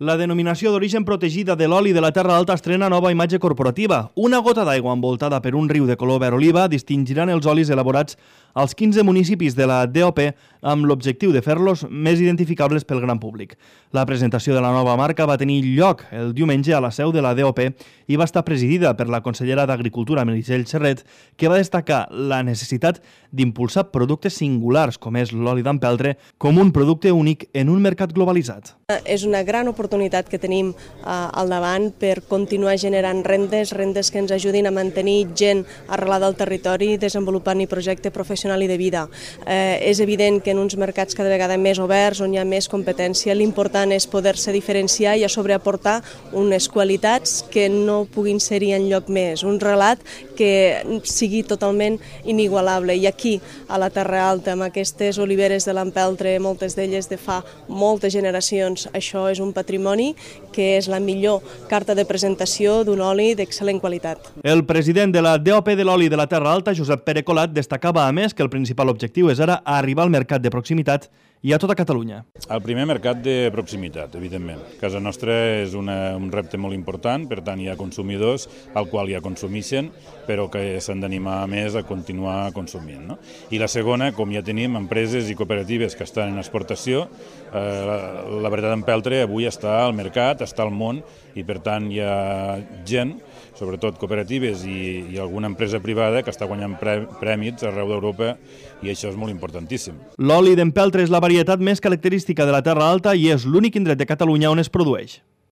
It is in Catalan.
La denominació d'origen protegida de l'oli de la Terra Alta estrena nova imatge corporativa. Una gota d'aigua envoltada per un riu de color verd oliva distingiran els olis elaborats als 15 municipis de la DOP amb l'objectiu de fer-los més identificables pel gran públic. La presentació de la nova marca va tenir lloc el diumenge a la seu de la DOP i va estar presidida per la consellera d'Agricultura, Meritxell Serret, que va destacar la necessitat d'impulsar productes singulars, com és l'oli d'empeltre, com un producte únic en un mercat globalitzat. És una gran oportunitat que tenim al davant per continuar generant rendes que ens ajudin a mantenir gent arrelada al territori, desenvolupant i projecte professional i de vida. És evident que en uns mercats cada vegada més oberts, on hi ha més competència, l'important és poder-se diferenciar i a sobre aportar unes qualitats que no puguin ser-hi enlloc més, un relat que sigui totalment inigualable. I aquí, a la Terra Alta, amb aquestes oliveres de l'empeltre, moltes d'elles de fa moltes generacions, això és un patrimoni que és la millor carta de presentació d'un oli d'excel·lent qualitat. El president de la DOP de l'oli de la Terra Alta, Josep Pere Colat, destacava a més que el principal objectiu és ara arribar al mercat de proximitat i a tota Catalunya. El primer mercat de proximitat, evidentment. Casa nostra és un repte molt important, per tant hi ha consumidors al qual ja consumeixen, però que s'han d'animar més a continuar consumint. No? I la segona, com ja tenim empreses i cooperatives que estan en exportació, la varietat d'empeltre avui està al mercat, està al món, i per tant hi ha gent, sobretot cooperatives i alguna empresa privada que està guanyant prèmits arreu d'Europa, i això és molt importantíssim. L'oli d'empeltre és la varietat més característica de la Terra Alta i és l'únic indret de Catalunya on es produeix.